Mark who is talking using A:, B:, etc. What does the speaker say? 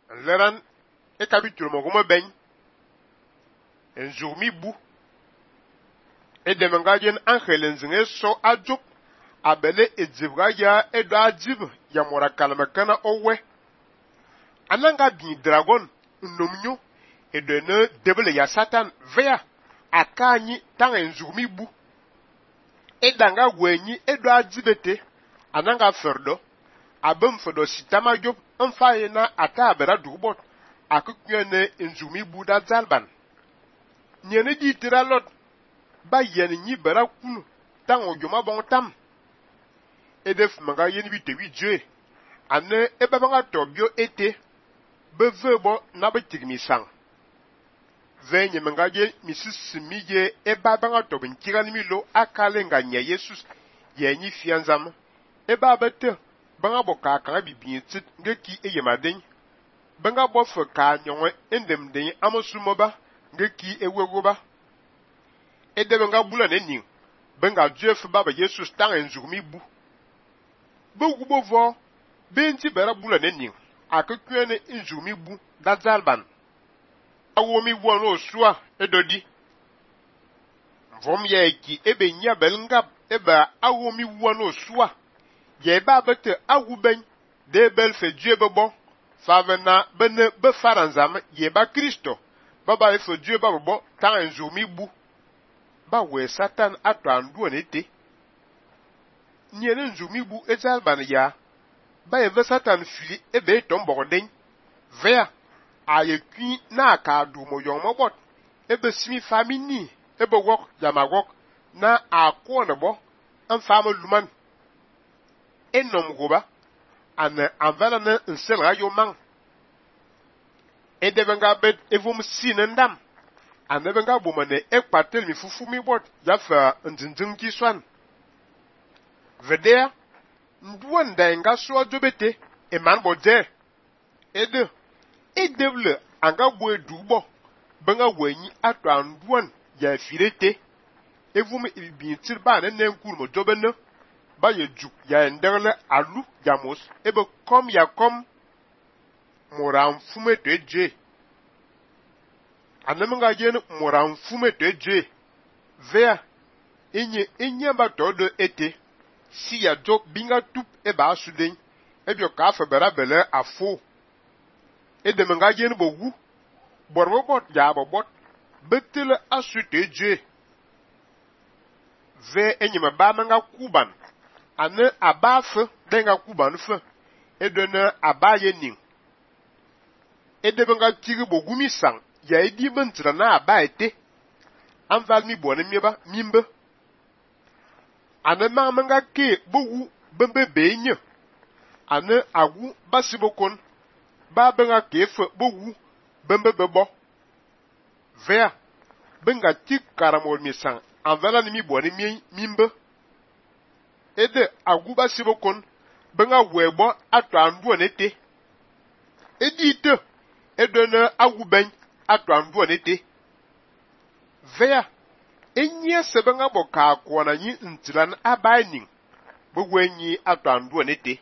A: leran e kabitul mo goma ben nzumi bu e de mangajen angelen zinge so ajuk abele edzibga ya edo ajib ya mora kalma kana owe ananga bi dragon nnomnyo edo ne debele ya satan vea akanyi tanga nzumi bu edanga gwenyi edo ajibete ananga ferdo abem fedo sitama job mfaye na ata abera dubot akukyene nzumi bu da zalban nyene di tiralot ba yen nyi bera kunu tango joma bon tam edef manga yen bi tewi je ane ebabanga tobio ete bevebo na betigmi sang venye manga je misisimi je ebabanga tobin kirani milo akale nga nya yesus yenyi fianzam ebabete banga boka kan bibin tit ngeki eyemaden banga bofe ka nyonwe endem den amosumoba ngeki ewegoba edebe nga bula ne ning benga jef baba yesus tang enzugmi bu bugubo vo benti bera bula ne ning akakwene enzugmi bu dazalban awomi wono sua edodi vom yeki ebe nya belngab eba awomi wono sua ye ba bete aguben de bel fe diebebo favena bene be faranzam ye ba kristo baba e fe diebabo tang enzugmi bu ba we satan ato andu nete nyene nzumi bu ezalban ya ba eve satan fili ebe tomborden vea ayekwi na ka du mo yomo bot ebe simi famini ebe wok yamagok na akone bo en fama luman enom goba an anvala na nsel rayo man edebenga bet evum sinendam anebenga bomane ekpatel mi fufu mi bot yafa ndindin ki swan vedea nduwan da nga so jobete e man bodze edevle anga bo edubo benga wenyi ato anduwan ya firete evum ibintir ba ne nenkur mo jobene ba ye juk ya nderle alu jamos ebe kom ya kom moram fume teje anemenga jen moram fume teje vea inye ba todo ete si ya jok binga tup eba asuden ebyo ka fa bera bele afo edemenga jen bogu borbo bot ya bobot betele asuteje ve enyema ba manga kuban ane abafe denga kuban fe edene abaye ning edebenga tigi bogumi sang ya edi bentra na abaete anval mi bone mieba mimbe ane manga ke bogu bembe benye ane agu basibokon ba benga ke fe bogu bembe bebo vea benga tik karamol mi sang anvala ni mi bone mimbe ede agu basibokon benga webo ato andu nete edite edona agu ben ato andu nete vea enye sebenga boka akwana nyi ntilan abaining bogwenyi ato andu nete